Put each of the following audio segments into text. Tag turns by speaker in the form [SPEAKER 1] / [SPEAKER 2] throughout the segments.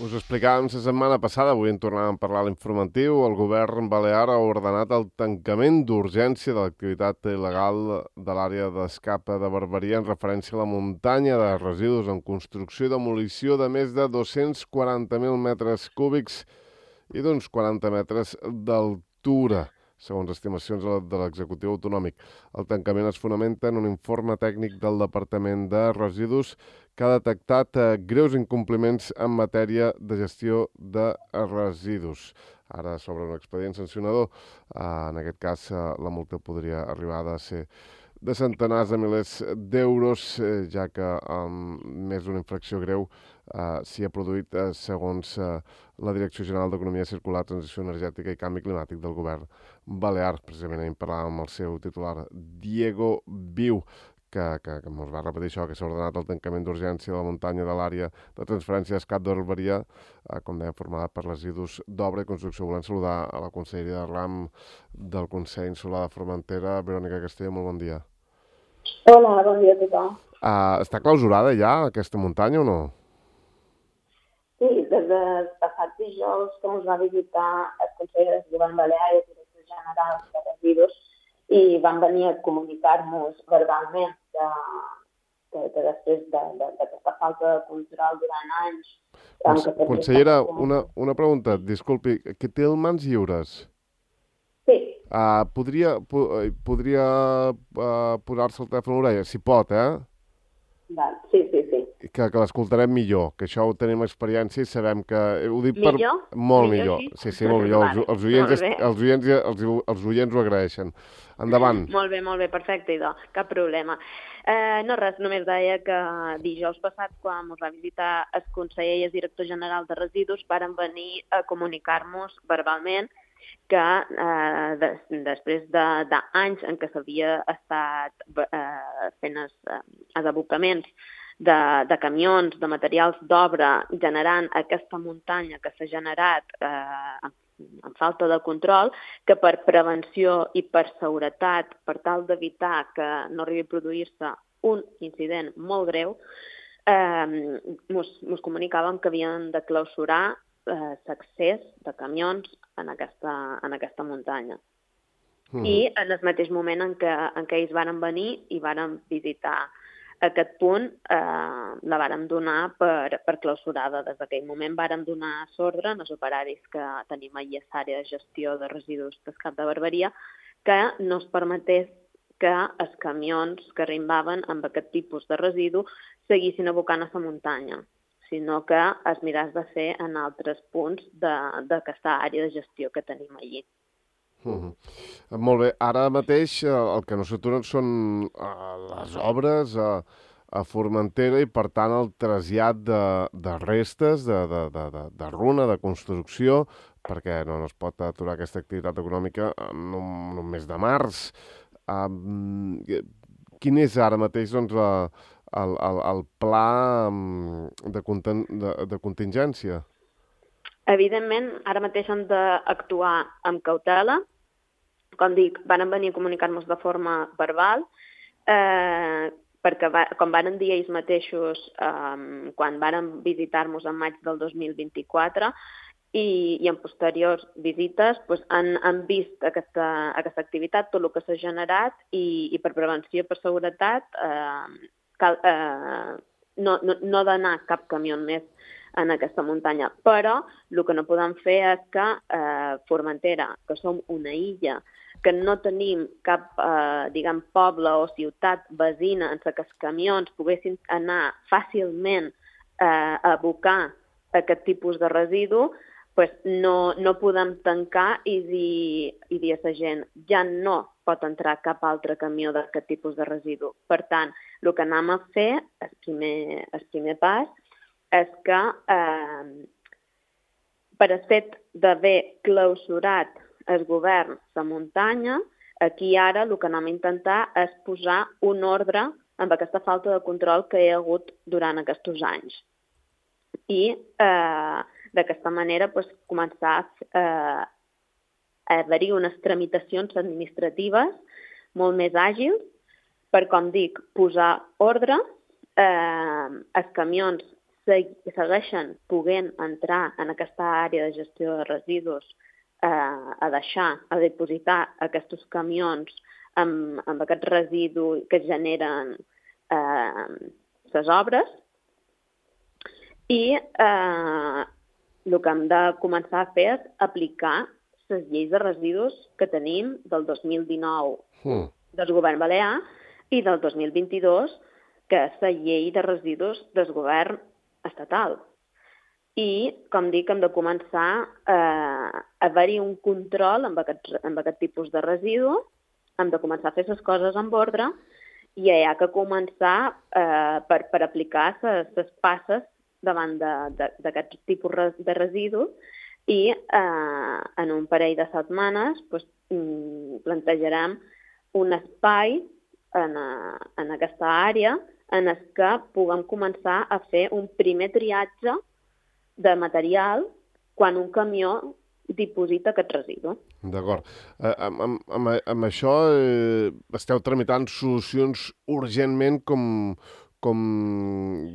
[SPEAKER 1] Us ho explicàvem la setmana passada, avui en tornàvem a parlar a l'informatiu. El govern balear ha ordenat el tancament d'urgència de l'activitat il·legal de l'àrea d'escapa de Barberia en referència a la muntanya de residus en construcció i demolició de més de 240.000 metres cúbics i d'uns 40 metres d'altura, segons estimacions de l'executiu autonòmic. El tancament es fonamenta en un informe tècnic del Departament de Residus que ha detectat greus incompliments en matèria de gestió de residus. Ara s'obre un expedient sancionador. En aquest cas, la multa podria arribar a ser de centenars de milers d'euros, ja que més d'una infracció greu s'hi ha produït, segons la Direcció General d'Economia Circular, Transició Energètica i Canvi Climàtic del govern balear. Precisament ahir parlàvem amb el seu titular, Diego Viu, que ens va repetir això, que s'ha ordenat el tancament d'urgència de la muntanya de l'àrea de transferència d'escat de Barberia, com deia, formada per residus d'obra i construcció. Volem saludar a la conselleria de RAM del Consell Insular de Formentera, Verònica Castelló, molt bon dia.
[SPEAKER 2] Hola, bon dia a tothom.
[SPEAKER 1] Està clausurada ja aquesta muntanya o no?
[SPEAKER 2] Sí, des del passat dijous que ens va visitar el Consell de Govern Balear i el Director General de Residus i van venir a comunicar-nos verbalment que després d'aquesta falta de control durant anys...
[SPEAKER 1] Consellera, una pregunta, disculpi, que té les mans lliures?
[SPEAKER 2] Sí.
[SPEAKER 1] Podria posar-se el telèfon a l'orella? Si pot,
[SPEAKER 2] Sí.
[SPEAKER 1] Que l'escoltarem millor, que això ho tenim experiència i sabem que...
[SPEAKER 2] Ho dic millor?
[SPEAKER 1] Molt millor. Sí, molt millor. Vale. Els oients ho agraeixen. Endavant.
[SPEAKER 2] Molt bé, perfecte, idò. Cap problema. No res, només deia que dijous passat, quan ens va visitar el conseller i el director general de residus, varen venir a comunicar-nos verbalment que després d'anys en què s'havia estat fent els abocaments de camions, de materials d'obra, generant aquesta muntanya que s'ha generat en falta de control, que per prevenció i per seguretat, per tal d'evitar que no arribi a produir-se un incident molt greu, ens comunicàvem que havien de clausurar l'accés de camions en aquesta muntanya. I en el mateix moment en què ells varen venir i varen visitar aquest punt, la vàrem donar per clausurada. Des d'aquell moment vàrem donar l'ordre als operaris que tenim allà a l'àrea de gestió de residus d'Escat de Barberia que no es permetés que els camions que arribaven amb aquest tipus de residu seguissin abocant a la muntanya, sinó que es miràs de fer en altres punts d'aquesta àrea de gestió que tenim allí.
[SPEAKER 1] Molt bé. Ara mateix el que no s'aturen són les obres a Formentera i, per tant, el trasllat de restes, de runa, de construcció, perquè no es pot aturar aquesta activitat econòmica en un mes de març. Quin és ara mateix el pla de contingència?
[SPEAKER 2] Evidentment, ara mateix hem d'actuar amb cautela. Com dic, van venir a comunicar-nos de forma verbal, perquè, com van dir ells mateixos quan van visitar-nos en maig del 2024 i en posteriors visites, han vist aquesta activitat, tot el que s'ha generat, i per prevenció i per seguretat no d'anar cap camió més en aquesta muntanya. Però el que no podem fer és que Formentera, que som una illa, que no tenim cap, poble o ciutat veïna en què els camions poguessin anar fàcilment a abocar aquest tipus de residu, no podem tancar i dir a la gent ja no pot entrar cap altre camió d'aquest tipus de residu. Per tant, el que anem a fer, el primer pas, és que per el fet d'haver clausurat el govern la muntanya, aquí ara el que anem a intentar és posar un ordre amb aquesta falta de control que hi ha hagut durant aquests anys. I d'aquesta manera començar a haver-hi unes tramitacions administratives molt més àgils per, com dic, posar ordre, els camions segueixen podent entrar en aquesta àrea de gestió de residus a depositar aquests camions amb aquest residu que generen les obres, i el que hem de començar a fer és aplicar les lleis de residus que tenim del 2019 del govern balear i del 2022, que és la llei de residus del govern estatal. I, com dic, hem de començar a haver-hi un control amb aquest tipus de residu, hem de començar a fer les coses amb ordre i hi ha que començar per aplicar les passes davant d'aquest tipus de residus i en un parell de setmanes plantejarem un espai en aquesta àrea en què puguem començar a fer un primer triatge de material quan un camió diposita aquest residu.
[SPEAKER 1] D'acord. Amb això esteu tramitant solucions urgentment com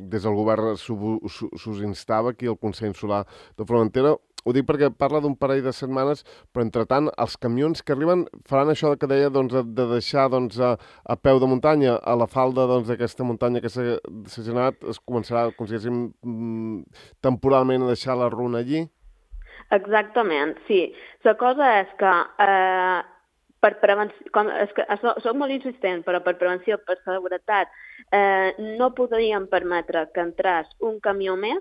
[SPEAKER 1] des del govern s'us instava aquí al Consell Insular de Formentera. Ho dic perquè parla d'un parell de setmanes, però entretant els camions que arriben faran això que deia de deixar a peu de muntanya, a la falda d'aquesta muntanya que s'ha generat, es començarà, com si diguéssim, temporalment a deixar la runa allí?
[SPEAKER 2] Exactament, sí. La cosa és que per prevenció, soc molt insistent, però per prevenció, per seguretat, no podríem permetre que entrés un camió més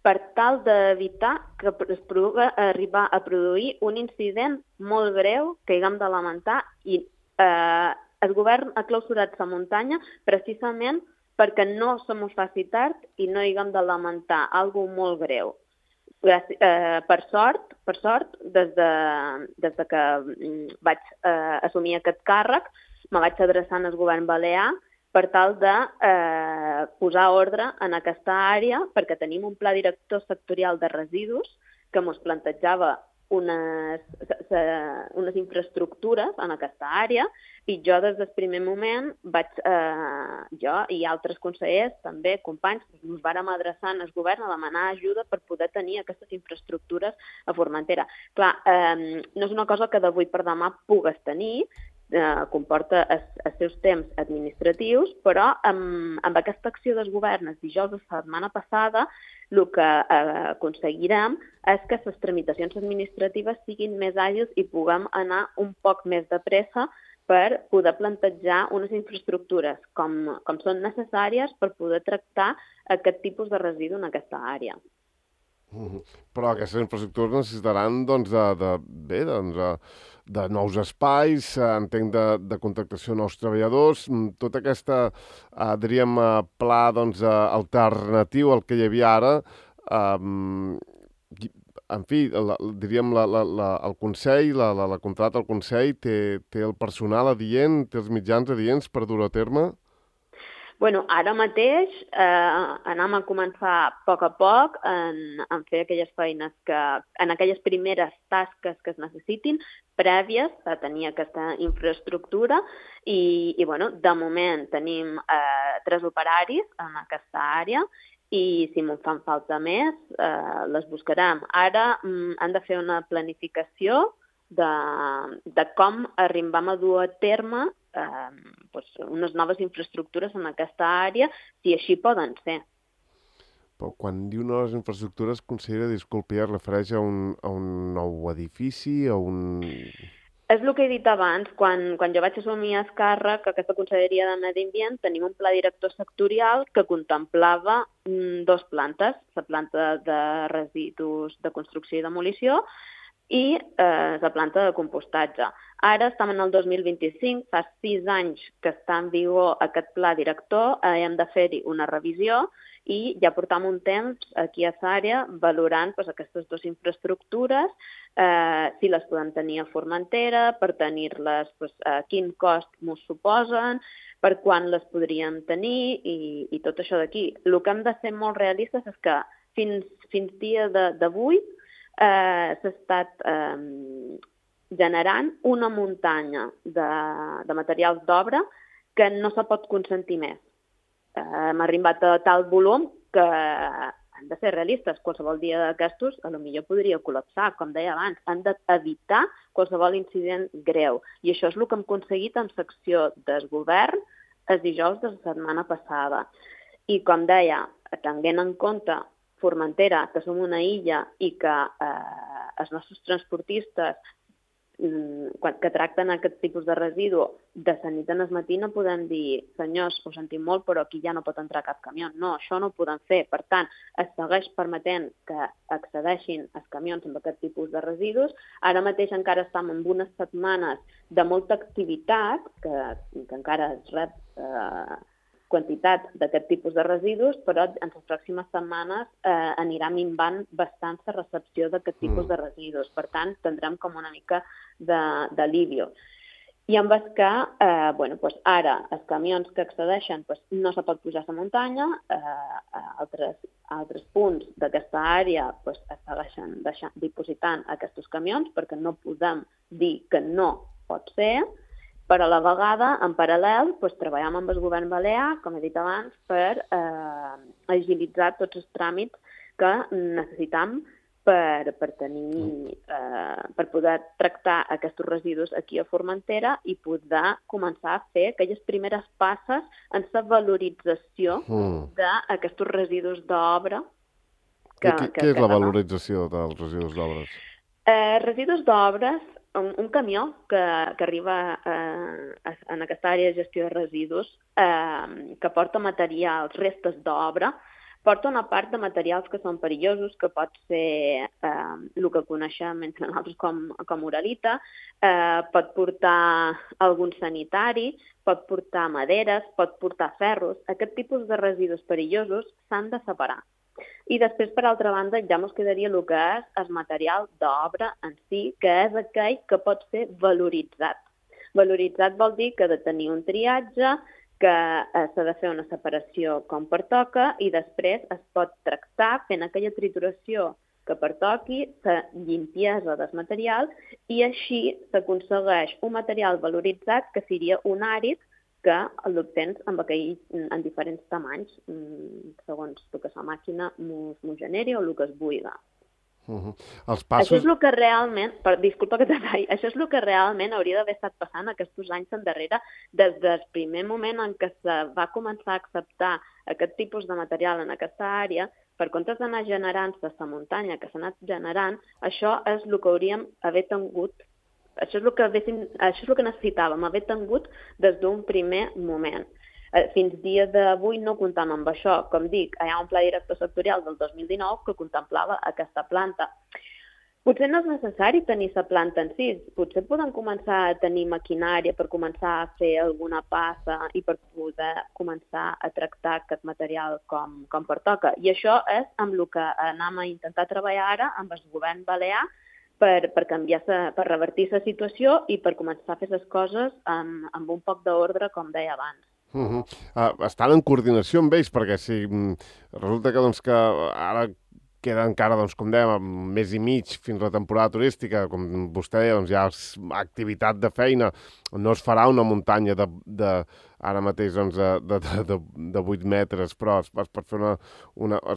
[SPEAKER 2] per tal d'evitar que es pugui arribar a produir un incident molt greu que haguem de lamentar i el govern ha clausurat la muntanya precisament perquè no se mos faci tard i no haguem de lamentar alguna cosa molt greu. Per sort, des de que vaig assumir aquest càrrec, me vaig adreçant al govern balear per tal de posar ordre en aquesta àrea, perquè tenim un pla director sectorial de residus que ens plantejava unes infraestructures en aquesta àrea i jo des del primer moment jo i altres consellers, també companys, ens vàrem adreçar al govern a demanar ajuda per poder tenir aquestes infraestructures a Formentera. Clar, no és una cosa que d'avui per demà pugues tenir, comporta els seus temps administratius, però amb aquesta acció del govern el dijous de la setmana passada el que aconseguirem és que les tramitacions administratives siguin més àgils i puguem anar un poc més de pressa per poder plantejar unes infraestructures com són necessàries per poder tractar aquest tipus de residu en aquesta àrea.
[SPEAKER 1] Però aquestes infraestructures necessitaran de nous espais, entenc de contractació de nous treballadors, tota aquesta, diríem, pla alternatiu al que hi havia ara, en fi, diríem, el Consell, la contracta del Consell té el personal adient, té els mitjans adients per dur a terme?
[SPEAKER 2] Bueno, ara mateix anem a començar a poc en fer aquelles feines en aquelles primeres tasques que es necessitin prèvies a tenir aquesta infraestructura i de moment tenim 3 operaris en aquesta àrea i si me'n fan falta més les buscarem. Ara han de fer una planificació de com arribem a dur a terme unes noves infraestructures en aquesta àrea, si així poden ser.
[SPEAKER 1] Però quan diu noves infraestructures, consellera, disculpi, es refereix a un nou edifici, a un...
[SPEAKER 2] És el que he dit abans, quan jo vaig assumir el càrrec, aquesta Conselleria de Medi Ambient, tenim un pla director sectorial que contemplava 2 plantes, la planta de residus de construcció i demolició i la planta de compostatge. Ara estem en el 2025, fa 6 anys que està en vigor aquest pla director, hem de fer-hi una revisió i ja portam un temps aquí a l'àrea valorant aquestes 2 infraestructures, si les podem tenir a Formentera, per tenir-les, quin cost ens suposen, per quan les podríem tenir i tot això d'aquí. El que hem de ser molt realistes és que fins dia d'avui s'ha estat generant una muntanya de materials d'obra que no se pot consentir més. Hem arribat a tal volum que hem de ser realistes, qualsevol dia d'aquestos potser podria col·lapsar, com deia abans, han d'evitar qualsevol incident greu. I això és el que hem aconseguit en secció del govern el dijous de la setmana passada. I com deia, tenint en compte Formentera, que som una illa i que els nostres transportistes que tracten aquest tipus de residu de la nit al matí no podem dir senyors, ho sentim molt, però aquí ja no pot entrar cap camió. No, això no ho podem fer. Per tant, es segueix permetent que accedeixin els camions amb aquest tipus de residus. Ara mateix encara estem en unes setmanes de molta activitat, que encara es rep quantitat d'aquest tipus de residus, però en les pròximes setmanes anirà minvant bastant la recepció d'aquest tipus de residus. Per tant, tindrem com una mica d'alivio. I amb el que, ara els camions que accedeixen no se pot pujar a la muntanya, a altres punts d'aquesta àrea es segueixen dipositant aquests camions perquè no podem dir que no pot ser, però a la vegada, en paral·lel, treballem amb el govern balear, com he dit abans, per agilitzar tots els tràmits que necessitam per poder tractar aquests residus aquí a Formentera i poder començar a fer aquelles primeres passes en la valorització d'aquests residus d'obra.
[SPEAKER 1] Què és la valorització dels residus d'obres?
[SPEAKER 2] Residus d'obres, un camió que arriba en aquesta àrea de gestió de residus, que porta materials, restes d'obra, porta una part de materials que són perillosos, que pot ser el que coneixem entre nosaltres com uralita, pot portar algun sanitari, pot portar maderes, pot portar ferros. Aquest tipus de residus perillosos s'han de separar. I després, per altra banda, ja ens quedaria el que és el material d'obra en si, que és aquell que pot ser valoritzat. Valoritzat vol dir que ha de tenir un triatge, que s'ha de fer una separació com pertoca i després es pot tractar fent aquella trituració que pertoqui, la limpiesa del material i així s'aconsegueix un material valoritzat que seria un àrid que l'obtens en diferents tamanys, segons el que la màquina m'ho generi o el que es buida. Això és el que realment, disculpa que t'atalli, això és el que realment hauria d'haver estat passant aquests anys endarrere, des del primer moment en què se va començar a acceptar aquest tipus de material en aquesta àrea, per comptes d'anar generant-se la muntanya que s'ha anat generant, això és el que hauríem haver tingut. Això és el que necessitàvem, haver tingut des d'un primer moment. Fins dia d'avui no comptam amb això. Com dic, hi ha un pla director sectorial del 2019 que contemplava aquesta planta. Potser no és necessari tenir la planta en si, potser podem començar a tenir maquinària per començar a fer alguna passa i per poder començar a tractar aquest material com pertoca. I això és amb el que anem a intentar treballar ara amb el govern balear per canviar, per revertir la situació i per començar a fer les coses amb un poc d'ordre, com deia abans.
[SPEAKER 1] Estan en coordinació amb ells, perquè si resulta que ara queda encara, com dèiem, un mes i mig fins a la temporada turística, com vostè deia, hi ha activitat de feina, no es farà una muntanya ara mateix de 8 metres, però es pot fer una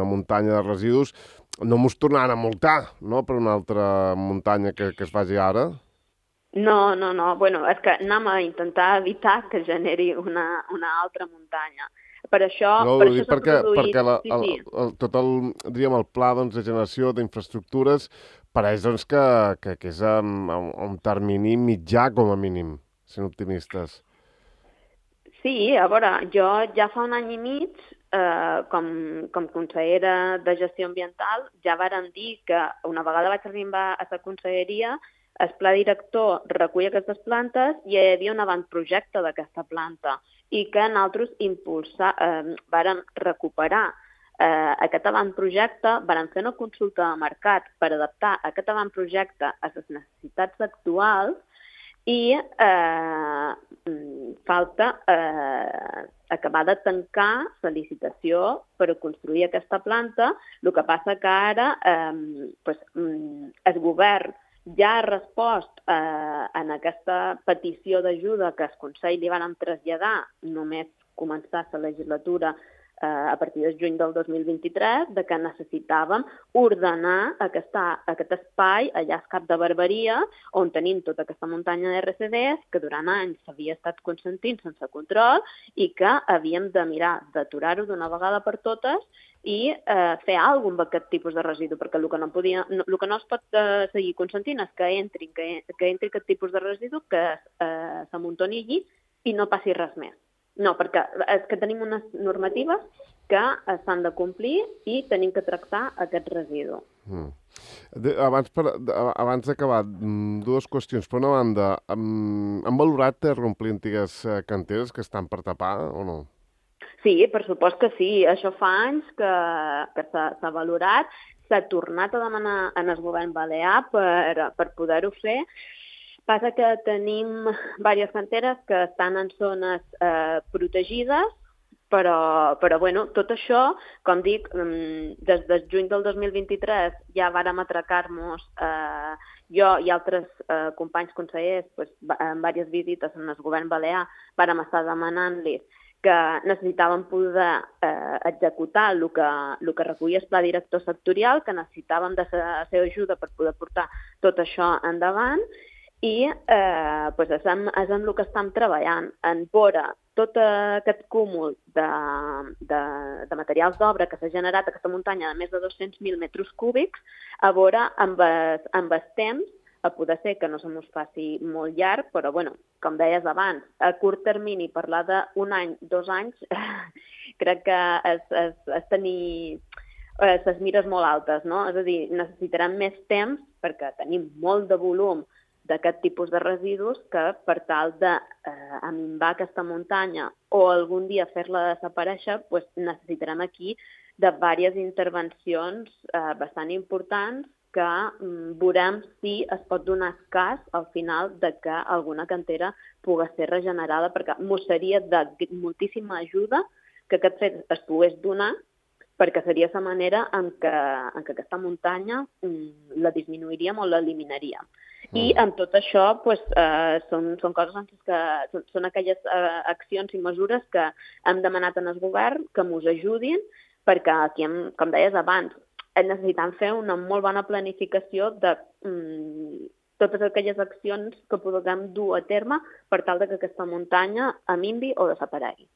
[SPEAKER 1] muntanya de residus. No mos tornaran a multar, no?, per una altra muntanya que es faci ara?
[SPEAKER 2] No. Bueno, és que anem a intentar evitar que generi una altra muntanya. Per això
[SPEAKER 1] perquè tot el pla de generació d'infraestructures pareix que és un termini mitjà, com a mínim, sent optimistes.
[SPEAKER 2] Sí, a veure, jo ja fa un any i mig, com consellera de gestió ambiental, ja vàrem dir que una vegada vaig arribar a la conselleria, el pla director recull aquestes plantes i hi havia un avantprojecte d'aquesta planta i que nosaltres vàrem recuperar aquest avantprojecte, vàrem fer una consulta de mercat per adaptar aquest avantprojecte a les necessitats actuals i falta acabar de tancar la licitació per construir aquesta planta. El que passa que ara el govern ja ha respost en aquesta petició d'ajuda que el Consell li van traslladar només començar la legislatura a partir de juny del 2023, de que necessitàvem ordenar aquest espai allà a Cap de Barberia, on tenim tota aquesta muntanya de RCDs que durant anys s'havia estat consentint sense control i que havíem de mirar d'aturar-ho d'una vegada per totes i fer alguna cosa amb aquest tipus de residu, perquè el que no es pot seguir consentint és que entri aquest tipus de residu, que s'amuntoni allí i no passi res més. No, perquè és que tenim unes normatives que s'han de complir i tenim que tractar aquest residu.
[SPEAKER 1] Abans d'acabar, dues qüestions. Per una banda, han valorat reomplir antigues canteres que estan per tapar o no?
[SPEAKER 2] Sí, per supost que sí. Això fa anys que s'ha valorat. S'ha tornat a demanar en el govern balear per poder-ho fer. Passa que tenim diverses canteres que estan en zones protegides, però bueno, tot això, com dic, des de juny del 2023 ja vàrem atracar-nos, jo i altres companys consellers, en diverses visites en el govern balear, vàrem estar demanant-los que necessitaven poder executar el que recollia el pla director sectorial, que necessitàvem de la seva ajuda per poder portar tot això endavant, i és en el que estem treballant, en veure tot aquest cúmul de materials d'obra que s'ha generat a aquesta muntanya de més de 200.000 metres cúbics, a veure amb el temps, a poder ser que no se mos faci molt llarg, però bueno, com deies abans, a curt termini parlar d'un any, 2 anys, crec que és tenir les mires molt altes, no? És a dir, necessitarem més temps perquè tenim molt de volum d'aquest tipus de residus que per tal d'aminvar aquesta muntanya o algun dia fer-la desaparèixer, necessitarem aquí de diverses intervencions bastant importants que veurem si es pot donar cas al final de que alguna cantera pugui ser regenerada, perquè mos seria de moltíssima ajuda que aquest fet es pogués donar, perquè seria la manera en què aquesta muntanya la disminuiríem o l'eliminaríem. I amb tot això són coses que són aquelles accions i mesures que hem demanat en el govern que ens ajudin, perquè aquí, com deies abans, necessitem fer una molt bona planificació de totes aquelles accions que puguem dur a terme per tal que aquesta muntanya aminvi o desaparegui.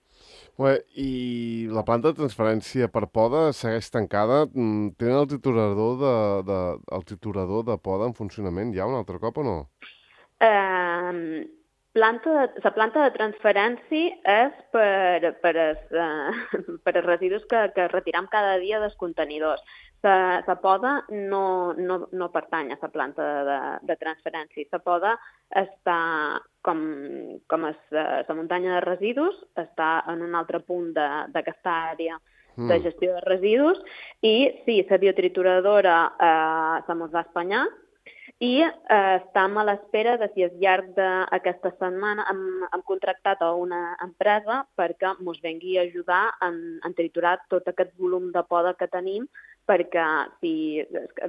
[SPEAKER 1] I la planta de transferència per poda segueix tancada? Tenen el triturador de poda en funcionament ja un altre cop o no?
[SPEAKER 2] La planta de transferència és per als residus que retiram cada dia dels contenidors. La poda no pertany a la planta de transferència. La poda està, com la muntanya de residus, està en un altre punt d'aquesta àrea de gestió de residus, i sí, la biotrituradora se mos va espanyar, i estem a l'espera de si al llarg d'aquesta setmana hem contractat a una empresa perquè ens vengui a ajudar en triturar tot aquest volum de poda que tenim, perquè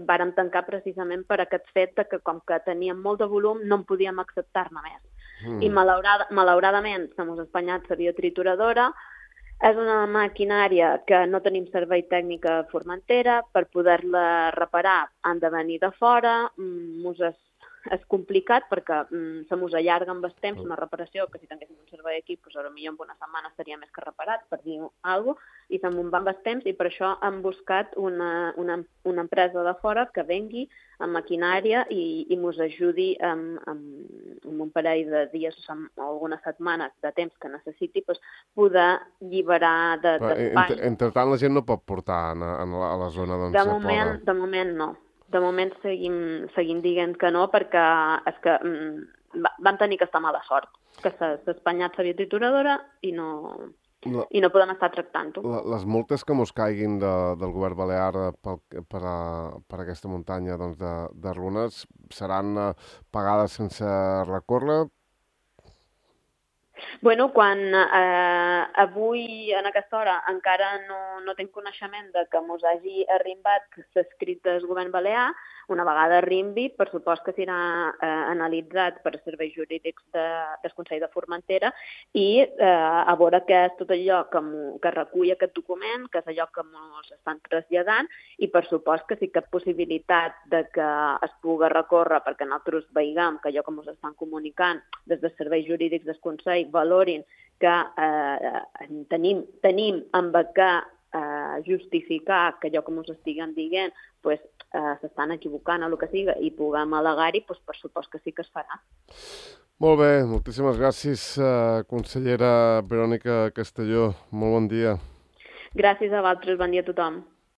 [SPEAKER 2] vàrem tancar precisament per aquest fet que com que teníem molt de volum no en podíem acceptar-ne més. I malauradament se mos ha espanyat la biotrituradora. És una maquinària que no tenim servei tècnic a Formentera. Per poder-la reparar han de venir de fora. És complicat perquè se mos allarga amb el temps una reparació que si tinguéssim un servei aquí, potser en una setmana estaria més que reparat, per dir alguna cosa, i se'n va amb el temps, i per això hem buscat una empresa de fora que vengui amb maquinària i mos ajudi amb un parell de dies o algunes setmanes de temps que necessiti poder alliberar d'espai.
[SPEAKER 1] Entretant, la gent no pot portar a la zona de poda?
[SPEAKER 2] De moment no. De moment seguim dient que no, perquè és que vam tenir aquesta mala sort, que s'ha espanyat la biotrituradora i no podem estar tractant-ho.
[SPEAKER 1] Les multes que mos caiguin del govern balear per aquesta muntanya de runes seran pagades sense recórrer?
[SPEAKER 2] Bueno, quan avui, en aquesta hora, encara no tinc coneixement de que mos hagi arrimbat que s'ha escrit del govern balear, una vegada arrimbi, per supost que serà analitzat per serveis jurídics del Consell de Formentera i a veure què és tot allò que recull aquest document, que és allò que ens estan traslladant i per supost que sí que hi ha possibilitat de que es pugui recórrer perquè nosaltres veiem que allò que ens estan comunicant des dels serveis jurídics del Consell valorin que tenim amb què justificar que allò que ens estiguen dient s'estan equivocant o el que sigui i puguem al·legar-hi, per supost que sí que es farà.
[SPEAKER 1] Molt bé, moltíssimes gràcies, consellera Verònica Castelló. Molt bon dia.
[SPEAKER 2] Gràcies a vosaltres, bon dia a tothom.